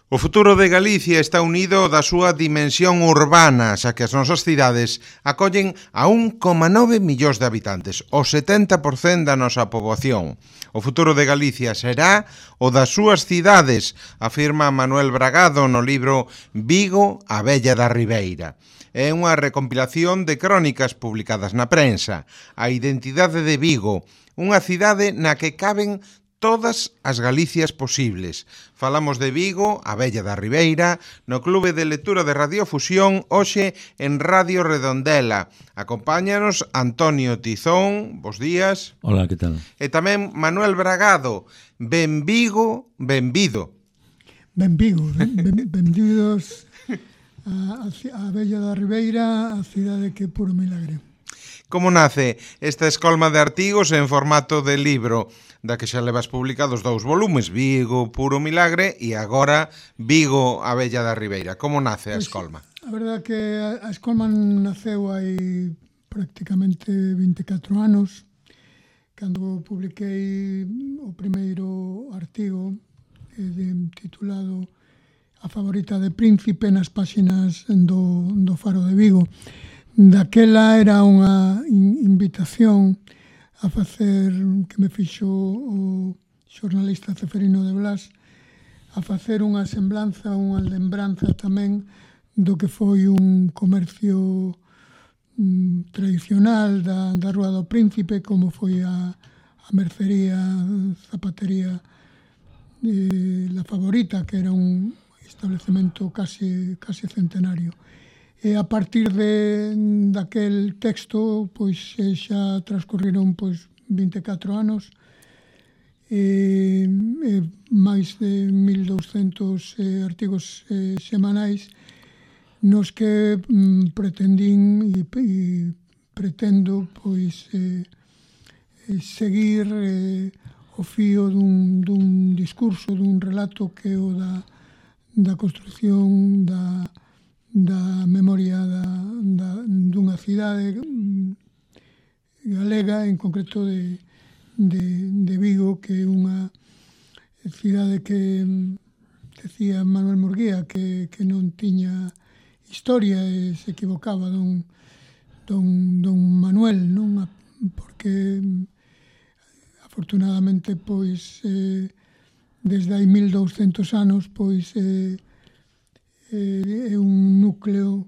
O futuro de Galicia está unido da súa dimensión urbana, xa que as nosas cidades acollen a 1,9 millóns de habitantes, o 70% da nosa poboación. O futuro de Galicia será o das súas cidades, afirma Manuel Bragado no libro Vigo, a vella da Ribeira. É unha recompilación de crónicas publicadas na prensa. A identidade de Vigo, unha cidade na que caben todas as Galicias posibles. Falamos de Vigo, a vella da Ribeira, no Clube de Lectura de Radiofusión, hoxe en Radio Redondela. Acompáñanos Antonio Tizón, bos días. Hola, que tal? E tamén Manuel Bragado. Ben Vigo, benvido. Ben Vigo, benvidos a vella da Ribeira, a cidade que é puro milagre. Como nace esta escolma de artigos en formato de libro, da que xa levas publicados 2 volumes, Vigo, Puro Milagre, e agora Vigo, a vella da Ribeira. Como nace a escolma? A verdade que a escolma naceu hai prácticamente 24 anos, cando publiquei o primeiro artigo titulado A favorita de Príncipe nas páxinas do Faro de Vigo. Daquela era unha invitación a facer, que me fixo o xornalista Ceferino de Blas, a facer unha semblanza, unha lembranza tamén do que foi un comercio tradicional da Rúa do Príncipe, como foi a mercería, zapatería La Favorita, que era un establecemento casi centenario. E a partir daquel texto, pois xa transcorriron 24 anos e máis de 1.200 artigos semanais nos que pretendín e pretendo pois seguir o fío dun discurso, dun relato que é o da construción da memoria dunha cidade galega, en concreto de Vigo, que é unha cidade que decía Manuel Murguía que non tiña historia e se equivocaba don Manuel, non? Porque afortunadamente pois desde hai 1.200 anos pois é un núcleo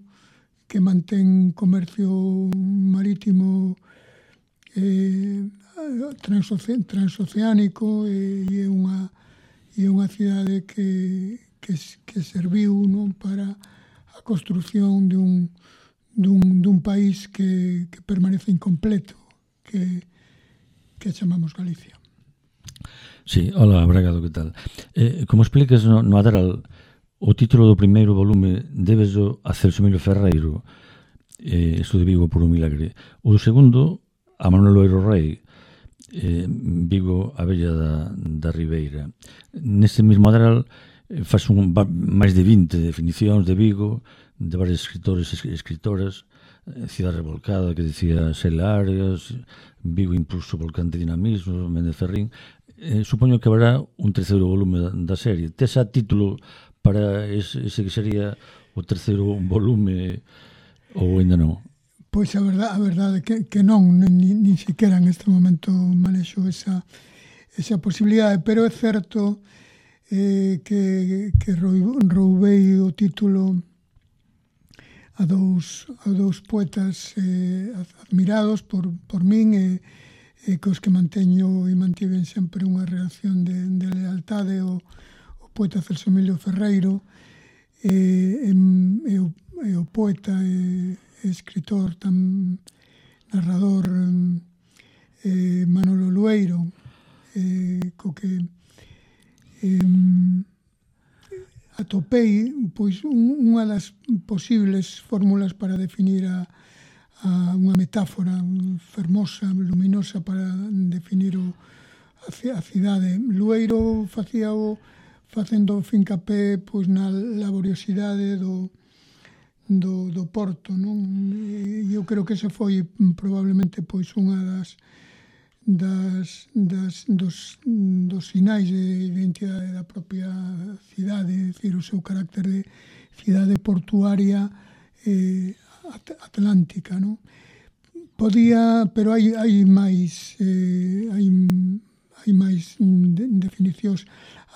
que mantén comercio marítimo transoceánico e é unha cidade que serviu, non, para a construción dun país que permanece incompleto, que chamamos Galicia. Sí, hola, Bragado, que tal? Como explicas no Adral, o título do primeiro volume débeslo a Celso Emilio Ferreiro, isto de Vigo por un milagre. O segundo, a Manuel Loiro Rei, Vigo, a vella da Ribeira. Neste mesmo Adral faz máis de 20 definicións de Vigo, de varios escritores e escritoras, Cidade Revolcada, que decía Xela Arias, Vigo impulso volcante dinamismo, Méndez Ferrín. Supoño que haberá un terceiro volume da serie. Tes a título para ese que sería o terceiro volume ou ainda non? Pois a verdade que non, nin siquiera en este momento manexo esa posibilidade, pero é certo que roubei o título a dous poetas admirados por min e cos que manteño e mantiven sempre unha relación de lealtade, o poeta Celso Emilio Ferreiro e o poeta e escritor, narrador Manolo Lueiro, co que atopei pois unha das posibles fórmulas para definir unha metáfora fermosa, luminosa para definir a cidade. Lueiro facendo fincapé pois na laboriosidade do porto, non? Eu creo que esa foi probablemente pois unha dos sinais de identidade da propia cidade, é dicir, o seu carácter de cidade portuaria atlántica, non? Podía, pero hai máis definicións.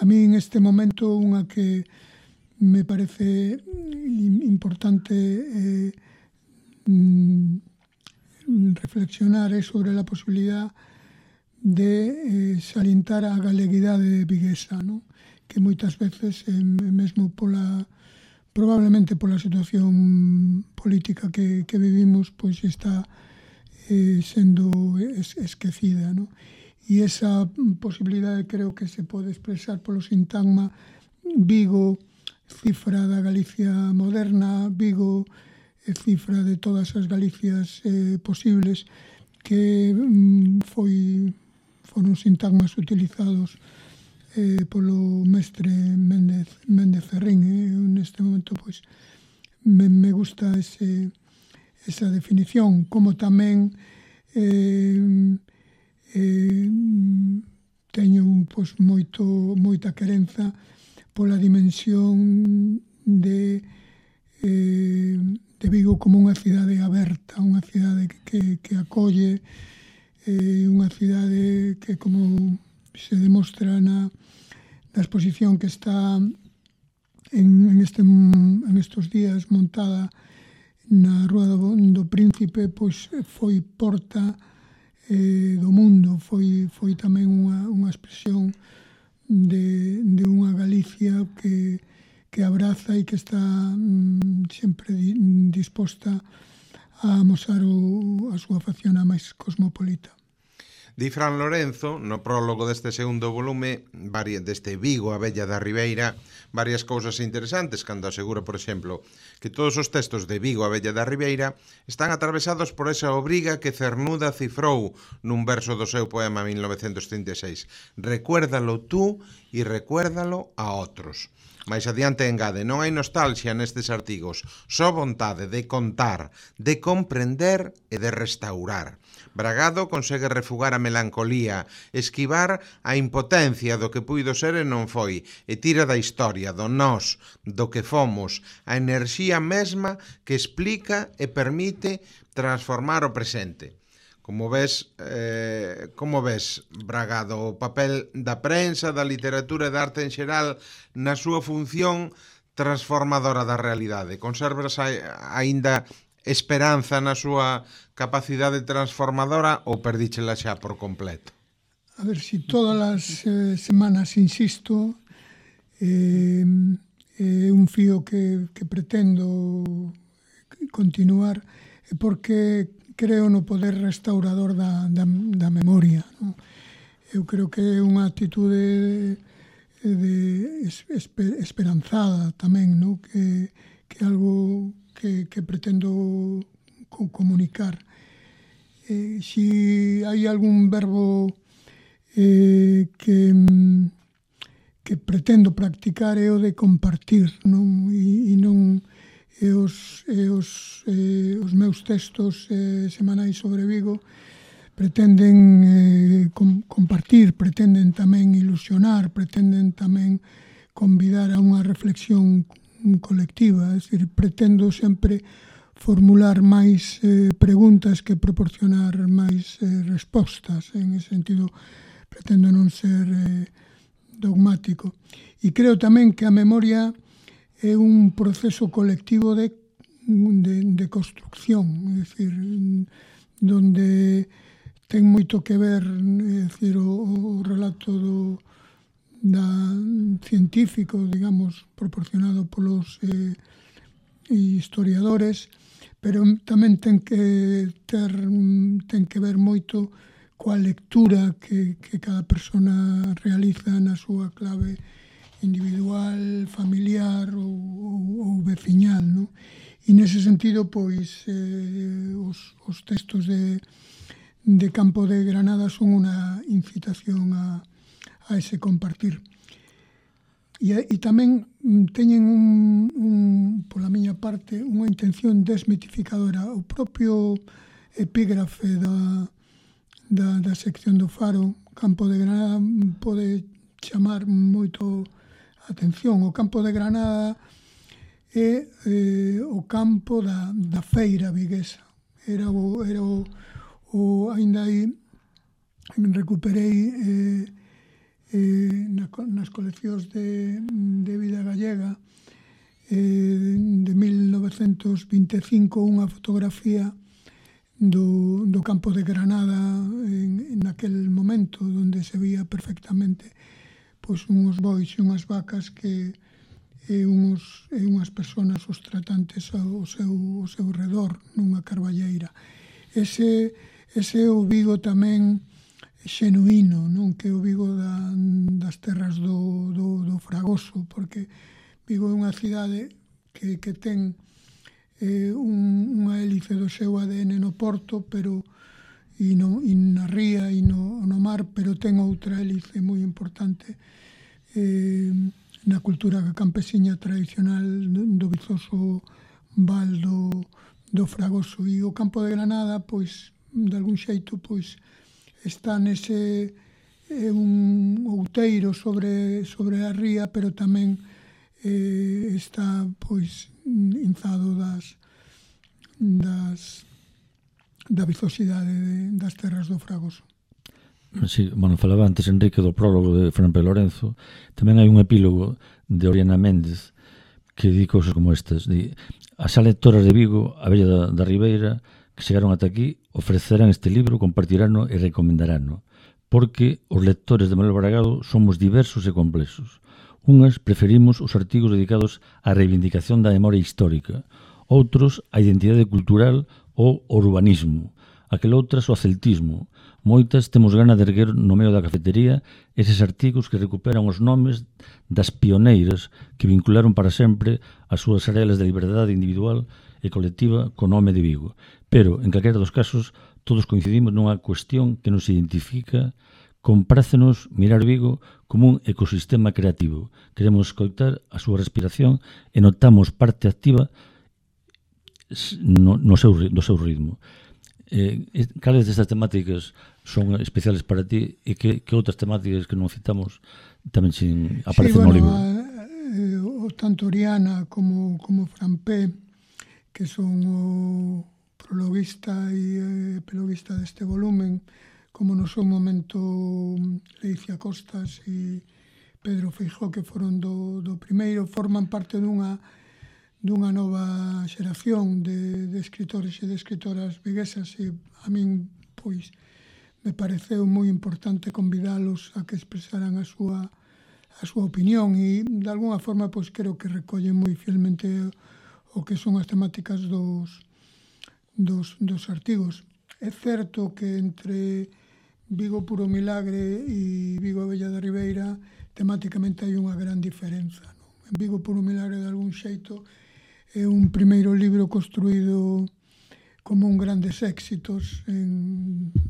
A mí en este momento unha que me parece importante reflexionar é sobre a posibilidad de salientar a galeguidade viguesa, non? Que moitas veces, mesmo probablemente pola situación política que vivimos, pois está sendo esquecida, non? E esa posibilidade creo que se pode expresar polo sintagma Vigo, cifra da Galicia moderna, Vigo, cifra de todas as Galicias posibles, que foron sintagmas utilizados polo mestre Méndez Ferrín. Neste momento, pois, me gusta esa definición, como tamén teño pois, moita querenza pola dimensión de Vigo como unha cidade aberta, unha cidade que acolle, unha cidade que, como se demostra na exposición que está en estes días montada na Rúa do Príncipe, pois foi porta do mundo, foi tamén unha expresión de unha Galicia que abraza e que está sempre disposta a amosar a súa facción a máis cosmopolita. Di Fran Lorenzo, no prólogo deste segundo volume, deste Vigo, a Vella da Ribeira, varias cousas interesantes, cando asegura, por exemplo, que todos os textos de Vigo, a Vella da Ribeira, están atravesados por esa obriga que Cernuda cifrou nun verso do seu poema 1936. Recuérdalo tú e recuérdalo a outros. Mais adiante engade, non hai nostalgia nestes artigos, só vontade de contar, de comprender e de restaurar. Bragado consegue refugar a melancolía, esquivar a impotencia do que puido ser e non foi, e tira da historia, do nós, do que fomos, a enerxía mesma que explica e permite transformar o presente. Como ves, Bragado, o papel da prensa, da literatura e da arte en xeral na súa función transformadora da realidade? Conservas aínda esperanza na súa capacidade transformadora ou perdíchela xa por completo? A ver, si todas as semanas insisto, é un fío que pretendo continuar, porque creo no poder restaurador da memoria, non? Eu creo que é unha actitude esperanzada tamén, non? Que é algo que pretendo comunicar. Si hai algún verbo que pretendo practicar é o de compartir, non? E non os meus textos semanais sobre Vigo pretenden compartir, pretenden tamén ilusionar, pretenden tamén convidar a unha reflexión colectiva, é dicir, pretendo sempre formular máis preguntas que proporcionar máis respostas. En ese sentido, pretendo non ser dogmático. E creo tamén que a memoria é un proceso colectivo de construcción, é dicir, donde ten moito que ver, é dicir, o relato científico, digamos, proporcionado polos historiadores, pero tamén ten que ver moito coa lectura que cada persona realiza na súa clave individual, familiar ou veciñal, non? E nese sentido, pois, os textos de Campo de Granada son unha incitación a ese compartir. E tamén teñen pola miña parte, unha intención desmitificadora. O propio epígrafe da sección do Faro. Campo de Granada pode chamar moito a atención. O Campo de Granada é o campo da feira viguesa. Era ainda aí recuperei nas coleccións de vida gallega de 1925 unha fotografía do Campo de Granada en aquel momento, onde se vía perfectamente pois unhos bois e unhas vacas que unhas persoas, os tratantes ao seu redor nunha carballeira. Ese é o Vigo tamén xenuíno, non? Que é o Vigo das terras do Fragoso, porque Vigo é unha cidade que ten unha hélice do seu ADN no porto, pero e na ría e no mar, pero ten outra hélice moi importante na cultura campesiña tradicional do vizoso val do Fragoso. E o Campo de Granada, pois, de algún xeito, pois, está nese un outeiro sobre a ría, pero tamén está, pois, inzado da vizosidade das terras do Fragoso. Sí, bueno, falaba antes Enrique do prólogo de Fran P. Lorenzo. Tamén hai un epílogo de Oriana Méndez que di cousas como estas. As lectoras de Vigo, a Bella da Ribeira, que chegaron ata aquí, ofrecerán este libro, compartirano e recomendarano, porque os lectores de Manuel Bragado somos diversos e complexos. Unhas preferimos os artigos dedicados á reivindicación da memoria histórica, outros á identidade cultural ou urbanismo, aquel outras ao celtismo. Moitas temos gana de erguer no medio da cafetería eses artigos que recuperan os nomes das pioneiras que vincularon para sempre as súas arelas de liberdade individual e colectiva co nome de Vigo. Pero, en calquera dos casos, todos coincidimos nunha cuestión que nos identifica. Comprácenos mirar Vigo como un ecosistema creativo. Queremos escoitar a súa respiración e notamos parte activa do seu ritmo. Cales destas temáticas son especiales para ti e que outras temáticas que non citamos tamén aparecen no libro? Tanto Oriana como Fran P, que son o prologuista e epiloguista deste volumen, como no seu momento Leicia Costas e Pedro Feijóo, que foron do primeiro, forman parte dunha nova xeración de escritores e de escritoras viguesas, e a min, pois, me pareceu moi importante convidalos a que expresaran a súa opinión, e de alguna forma, pois, creo que recollen moi fielmente o que son as temáticas dos artigos. É certo que entre Vigo Puro Milagre e Vigo Bella da Ribeira temáticamente hai unha gran diferenza, non? En Vigo Puro Milagre, de algún xeito, é un primeiro libro construído como un grandes éxitos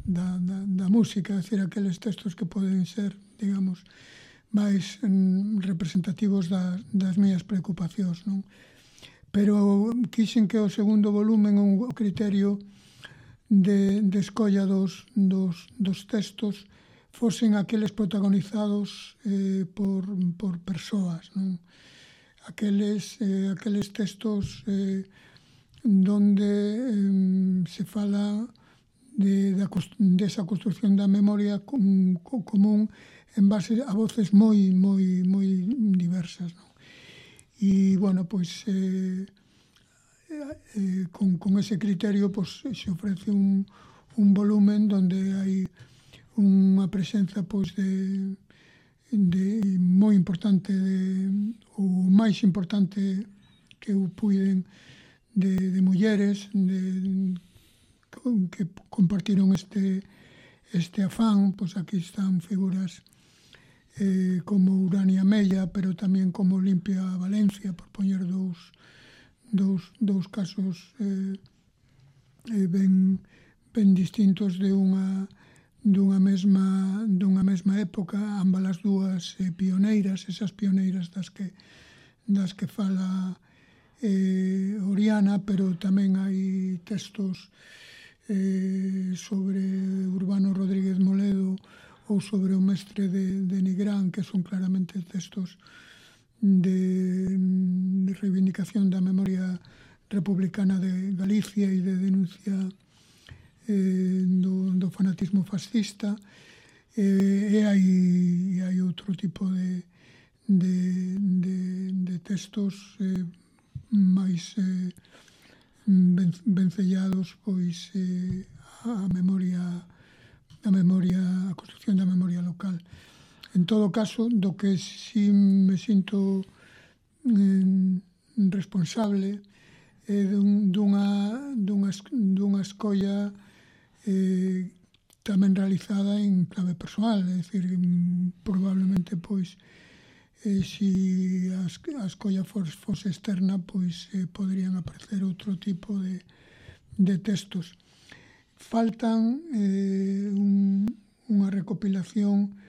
da música, é dicir, aqueles textos que poden ser, digamos, máis representativos das miñas preocupacións, non? Pero quixen que o segundo volumen, o criterio de escolla dos textos, fosen aqueles protagonizados por persoas, non? Aqueles textos donde se fala desa construción da memoria común en base a voces moi diversas, non? E, bueno, pois con ese criterio, pois, se ofrece un volumen donde hai unha presenza, pois, de moi importante, o máis importante que eu puiden, de mulleres que compartiron este afán. Pois aquí están figuras como Urania Mella, pero tamén como Olimpia Valencia, por poñer dous casos ben distintos dunha mesma época, ambas as dúas pioneiras, esas pioneiras das que fala Oriana, pero tamén hai textos sobre Urbano Rodríguez Moledo ou sobre o mestre de Nigrán, que son claramente textos de reivindicación da memoria republicana de Galicia e de denuncia do fanatismo fascista. E hai outro tipo de textos máis vencellados pois a construcción da memoria local. En todo caso, do que si me sinto responsable é dunha escolla tamén realizada en clave persoal, é dicir, probablemente pois se a escolla fose externa, pois poderían aparecer outro tipo de textos. Faltan unha recopilación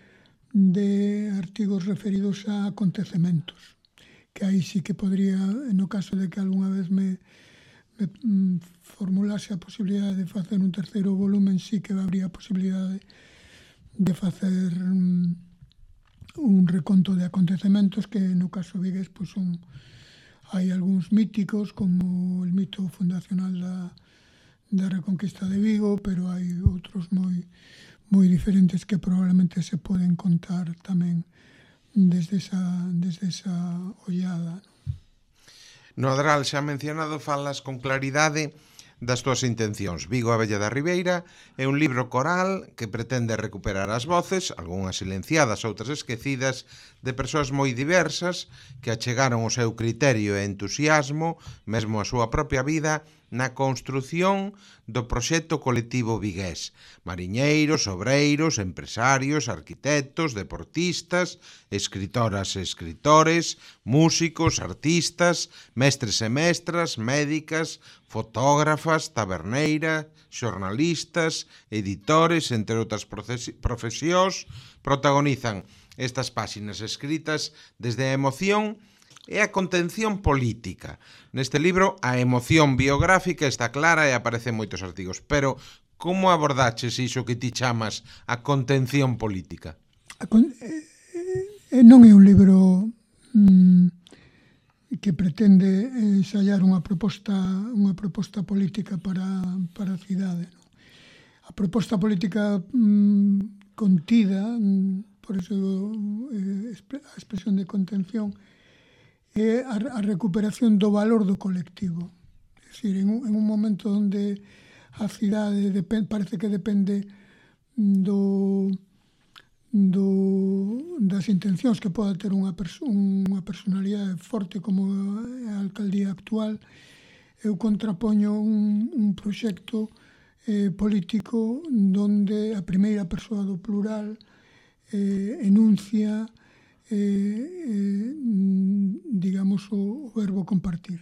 de artigos referidos a acontecementos, que aí sí que podría, no caso de que algunha vez me formulase a posibilidade de facer un terceiro volumen, sí que habría a posibilidade de facer un reconto de acontecementos que no caso vigués pois hai algúns míticos como el mito fundacional da Reconquista de Vigo, pero hai outros moi diferentes que probablemente se poden contar tamén desde esa ollada. No Adral xa mencionado falas con claridade das túas intencións. Vigo a Vella da Ribeira é un libro coral que pretende recuperar as voces, algunhas silenciadas, outras esquecidas, de persoas moi diversas que achegaron o seu criterio e entusiasmo, mesmo a súa propia vida, na construción do proxecto colectivo vigués. Mariñeiros, obreiros, empresarios, arquitectos, deportistas, escritoras e escritores, músicos, artistas, mestres e mestras, médicas, fotógrafas, taberneiras, xornalistas, editores, entre outras profesións, protagonizan estas páxinas escritas desde a emoción e a contención política. Neste libro, a emoción biográfica está clara e aparecen moitos artigos, pero como abordaches iso que ti chamas a contención política? Non é un libro que pretende ensaiar unha proposta política para a cidade. A proposta política contida, por iso a expresión de contención, é a recuperación do valor do colectivo. É dicir, en un momento onde a cidade parece que depende das intencións que poda ter unha personalidade forte como a alcaldía actual, eu contrapoño un proxecto político donde a primeira persoa do plural enuncia digamos o verbo compartir.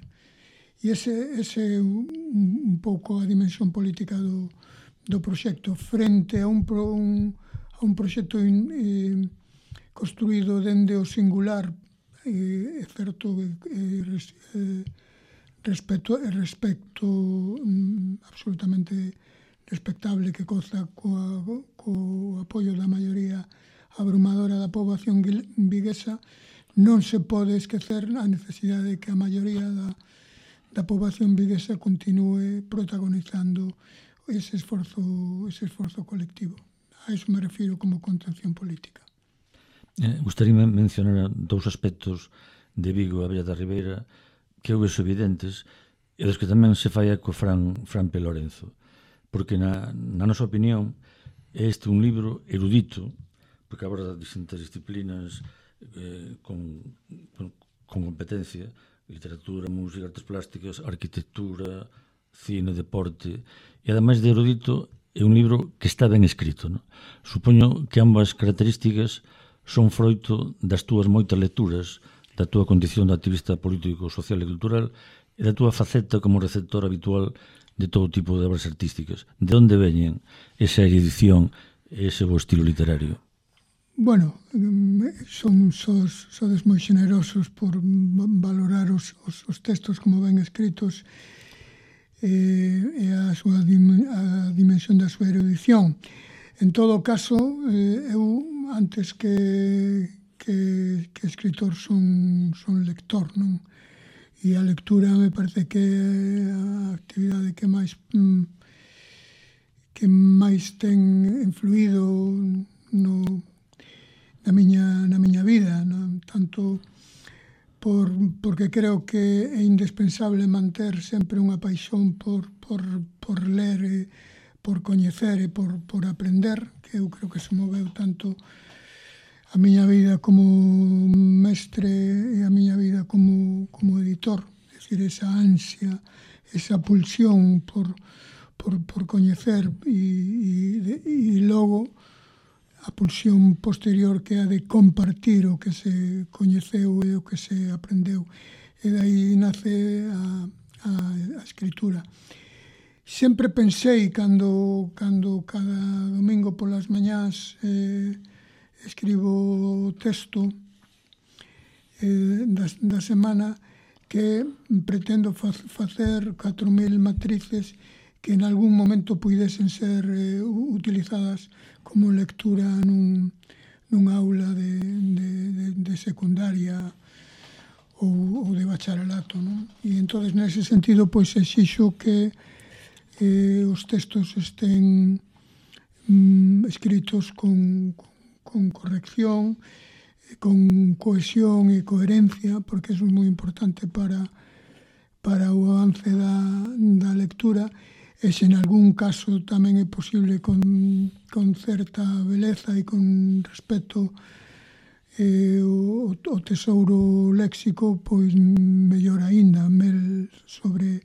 E ese é un pouco a dimensión política do proxecto frente a un proxecto construído dende o singular, é certo, respecto absolutamente respectable que goza co apoio da maioría abrumadora da poboación viguesa. Non se pode esquecer a necesidade de que a maioría da poboación viguesa continue protagonizando ese esforzo colectivo. A iso me refiro como contención política. Gustaríame mencionar dous aspectos de Vigo a Vella da Ribeira que eu vexo evidentes e dos que tamén se fai co Fran P. Lorenzo, porque na nosa opinión é este un libro erudito, porque aborda distintas disciplinas con competencia, literatura, música, artes plásticas, arquitectura, cine, deporte, e ademais de erudito é un libro que está ben escrito, non? Supoño que ambas características son froito das túas moitas lecturas, da túa condición de activista político, social e cultural e da túa faceta como receptor habitual de todo tipo de obras artísticas. De onde veñen esa erudición e ese bo estilo literario? Bueno, sodes moi generosos por valorar os textos como ben escritos. e a dimensión da súa erudición. En todo caso, eu antes que escritor son lector, non? E a lectura me parece que é a actividade que máis ten influído na miña vida, non? Tanto porque creo que é indispensable manter sempre unha paixón por ler, por coñecer e por aprender, que eu creo que se moveu tanto a miña vida como mestre e a miña vida como editor. É dicir, esa ansia, esa pulsión por coñecer e logo a pulsión posterior que é a de compartir o que se coñeceu e o que se aprendeu. E dai nace a escritura. Sempre pensei, cando cada domingo polas mañás escribo texto da semana, que pretendo facer 4.000 matrices que en algún momento puidesen ser utilizadas como lectura nunha aula de secundaria ou de bacharelato, non? E entón, nese sentido, pois exixo que os textos estén escritos con corrección, con cohesión e coherencia, porque eso é moi importante para o avance da lectura. E se en algún caso tamén é posible con certa beleza e con respeto o tesouro léxico, pois mellor aínda, mel sobre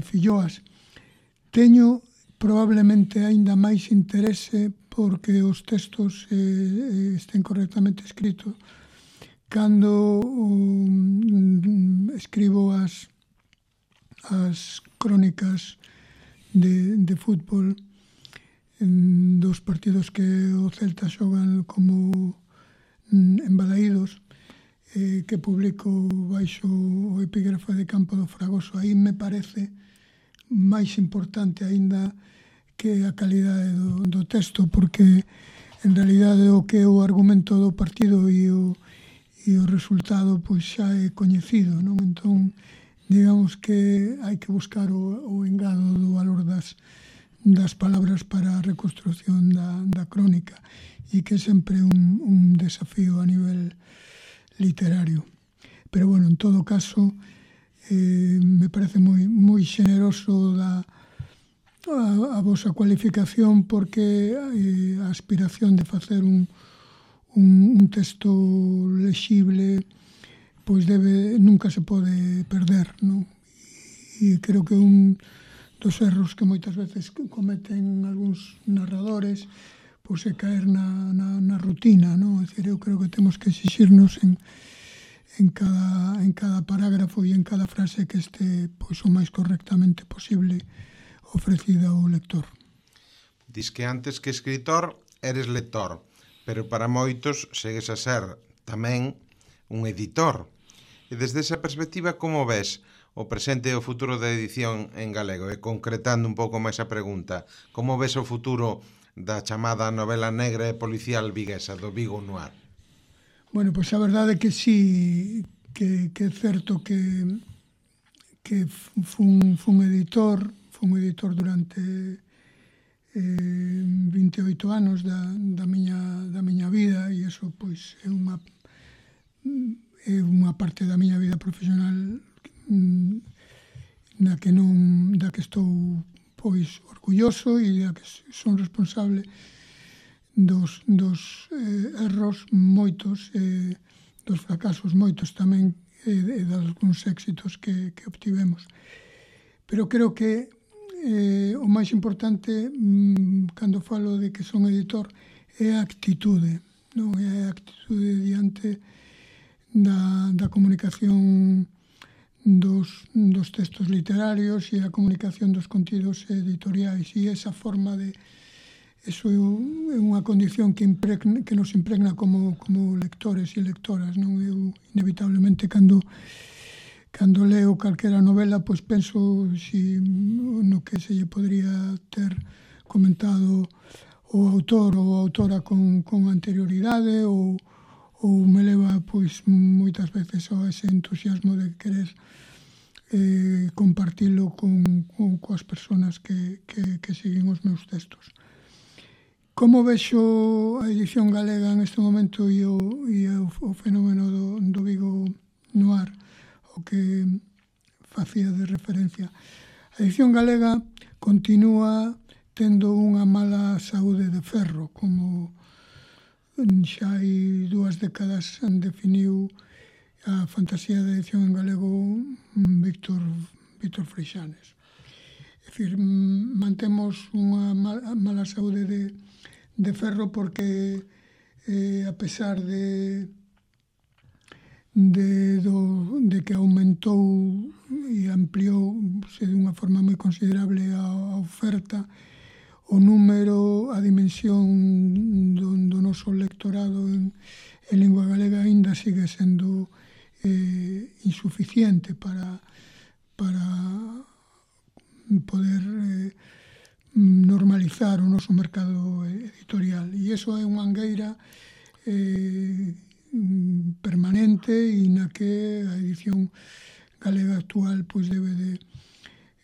filloas. Teño probablemente aínda máis interese porque os textos estén correctamente escritos cando escribo as crónicas de fútbol dos partidos que o Celta xogan como en Balaídos, que publico baixo o epígrafe de Campo do Fragoso. Aí me parece máis importante aínda que a calidade do texto, porque en realidade o que é o argumento do partido e o resultado pois xa é coñecido, non? Entón, digamos que hai que buscar o engado do valor das palabras para a reconstrucción da crónica, e que é sempre un desafío a nivel literario. Pero, bueno, en todo caso, me parece moi xeneroso a vosa cualificación, porque a aspiración de facer un texto lexible pois nunca se pode perder, non? E creo que un dos erros que moitas veces cometen algúns narradores pois é caer na rutina, non? É dicir, eu creo que temos que exixirnos en cada parágrafo e en cada frase que este pois o máis correctamente posible ofrecida ao lector. Dis que antes que escritor eres lector, pero para moitos segues a ser tamén un editor. E desde esa perspectiva, como ves o presente e o futuro da edición en galego? E concretando un pouco máis a pregunta, como ves o futuro da chamada novela negra e policial viguesa, do Vigo Noir? Bueno, pois a verdade é que sí, que é certo que fun editor durante 28 anos da miña vida, e iso pois é unha parte da miña vida profesional da que estou pois orgulloso e da que son responsable dos erros moitos, dos fracasos moitos tamén, e de algúns éxitos que obtivemos. Pero creo que o máis importante cando falo de que son editor é a actitude, non? É a actitude diante da comunicación dos textos literarios e a comunicación dos contidos editoriais, e esa forma de eso é unha condición que nos impregna como lectores e lectoras, non? Eu inevitablemente cando cando leo calquera novela, pois penso no que se lle podría ter comentado o autor ou a autora con anterioridade, ou me leva pois moitas veces ao ese entusiasmo de querer compartilo coas persoas que siguen os meus textos. Como vexo a edición galega en este momento e o fenómeno do Vigo Noir, o que facía de referencia? A edición galega continúa tendo unha mala saúde de ferro, como xa hai 2 décadas definiu a fantasía de edición en galego Víctor Freixanes. É dicir, mantemos unha mala saúde de ferro porque a pesar de que aumentou e ampliouse de unha forma moi considerable a oferta, o número, a dimensión do noso lectorado en lingua galega aínda sigue sendo insuficiente para poder normalizar o noso mercado editorial. E iso é unha angueira permanente e na que a edición galega actual pois debe de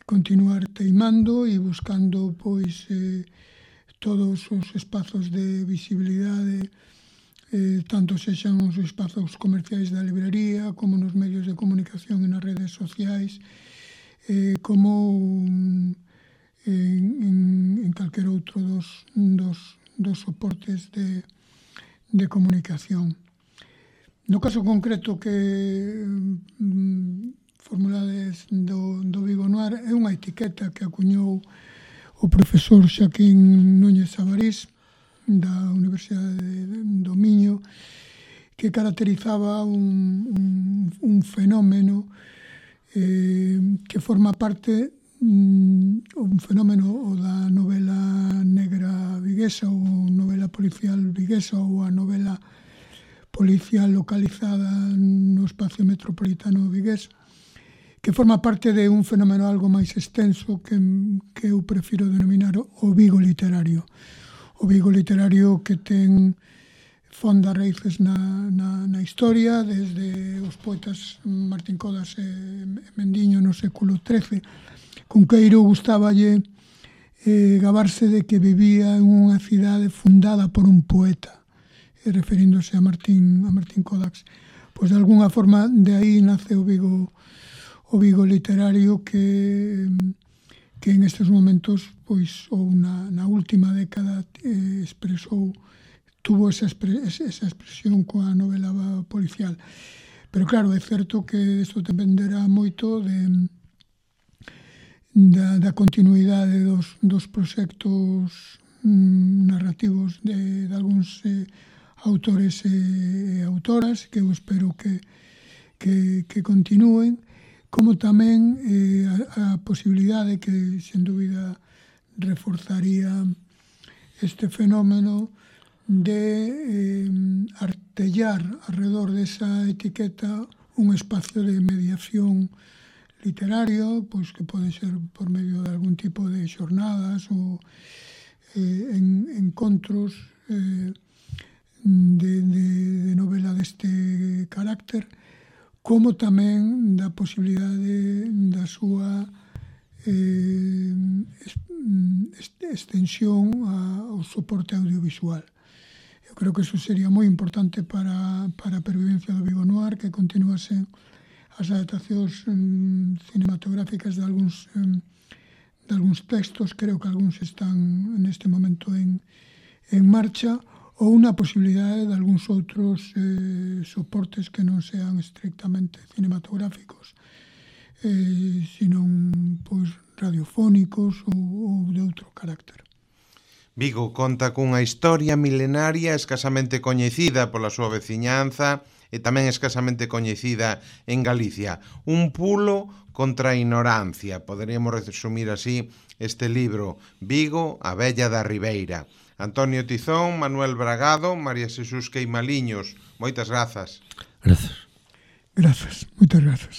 continuar teimando e buscando pois todos os espazos de visibilidade, tanto sexan os espazos comerciais da librería, como nos medios de comunicación e nas redes sociais, como en calquer outro dos soportes de comunicación. No caso concreto que formulades do Vigo Noir, é unha etiqueta que acuñou o profesor Xaquín Núñez Sabarís da Universidade do Miño, que caracterizaba un fenómeno que forma parte un fenómeno da novela negra viguesa ou novela policial viguesa ou a novela policial localizada no espacio metropolitano vigués, que forma parte de un fenómeno algo máis extenso que eu prefiro denominar o Vigo literario. O Vigo literario que ten fonda raíces na historia, desde os poetas Martín Codas e Mendiño no século XIII. Cunqueiro gustáballe gabarse de que vivía en unha cidade fundada por un poeta, referíndose a Martín Codax. Pois de alguna forma de aí nace o Vigo literario que en estes momentos, pois, ou na última década tuvo esa expresión coa novela policial. Pero claro, é certo que isto dependerá moito da continuidade dos proxectos narrativos de algúns autores e autoras, que eu espero que continúen, como tamén a posibilidade que, sen dúbida, reforzaría este fenómeno de artellar alrededor desa etiqueta un espacio de mediación literario, pois que pode ser por medio de algún tipo de xornadas ou encontros de novela deste carácter, como tamén da posibilidade da súa extensión ao soporte audiovisual. Eu creo que iso sería moi importante para a pervivencia do Vigo Noir, que continuasen as adaptacións cinematográficas de algúns textos. Creo que algúns están neste momento en marcha, ou unha posibilidade de algúns outros soportes que non sean estrictamente cinematográficos, senón pois radiofónicos ou de outro carácter. Vigo conta cunha historia milenaria escasamente coñecida pola súa veciñanza e tamén escasamente coñecida en Galicia. Un pulo contra a ignorancia. Poderíamos resumir así este libro, Vigo, a vella da Ribeira. Antonio Tizón, Manuel Bragado, María Xesús Queimaliños. Moitas grazas. Grazas. Grazas, moitas grazas.